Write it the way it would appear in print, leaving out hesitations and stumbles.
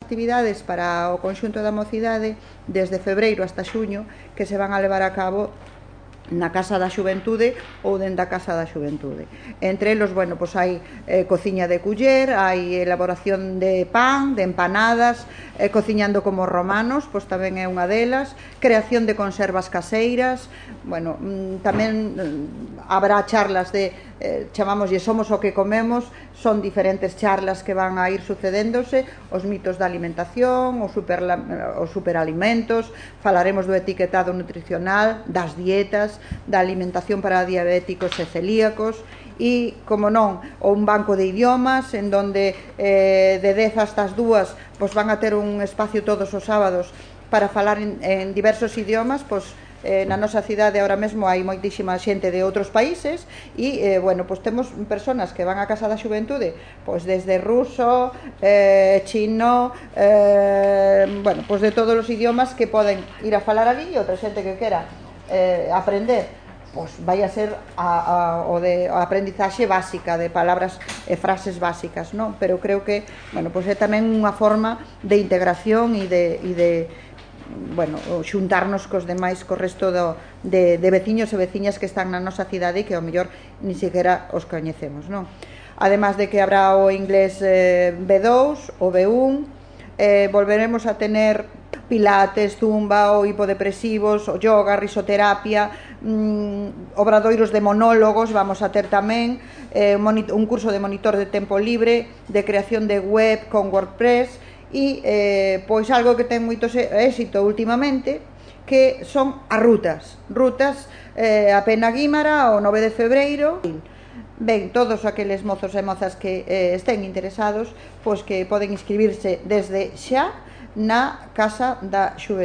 actividades para o conxunto da mocidade desde febreiro hasta xuño que se van a levar a cabo na Casa da Xuventude ou dentro da Casa da Xuventude. Entre eles, bueno, pois hai cociña de culler, hai elaboración de pan, de empanadas, cociñando como romanos, pois tamén é unha delas, creación de conservas caseiras, bueno, tamén habrá charlas de, chamámoslle Somos o que comemos, son diferentes charlas que van a ir sucedéndose, os mitos da alimentación, os superalimentos, falaremos do etiquetado nutricional, das dietas, da alimentación para diabéticos e celíacos e, como non, un banco de idiomas en donde de 10 hasta as 2 pois van a ter un espacio todos os sábados para falar en diversos idiomas. Pois na nosa cidade ahora mesmo hai moitísima xente de outros países e, bueno, pois temos persoas que van á Casa da Xuventude pois desde ruso, chino, bueno, pois de todos os idiomas que poden ir a falar ali, e outra xente que quera aprender, pois vai a ser a aprendizaxe básica de palabras e frases básicas, non? Pero creo que, bueno, pois é tamén unha forma de integración e de bueno, xuntarnos cos demais, co resto de veciños e veciñas que están na nosa cidade e que ao mellor ni sequera os coñecemos, non? Además de que habrá o inglés B2, o B1, volveremos a tener pilates, zumba, o hipodepresivos, o yoga, risoterapia, obradoiros de monólogos, vamos a ter tamén un curso de monitor de tempo libre, de creación de web con WordPress e pois algo que ten moito éxito últimamente, que son as rutas a Pena Guímara o 9 de febreiro. Ben, todos aqueles mozos e mozas que estén interesados, pois que poden inscribirse desde xa na Casa da Xuventude.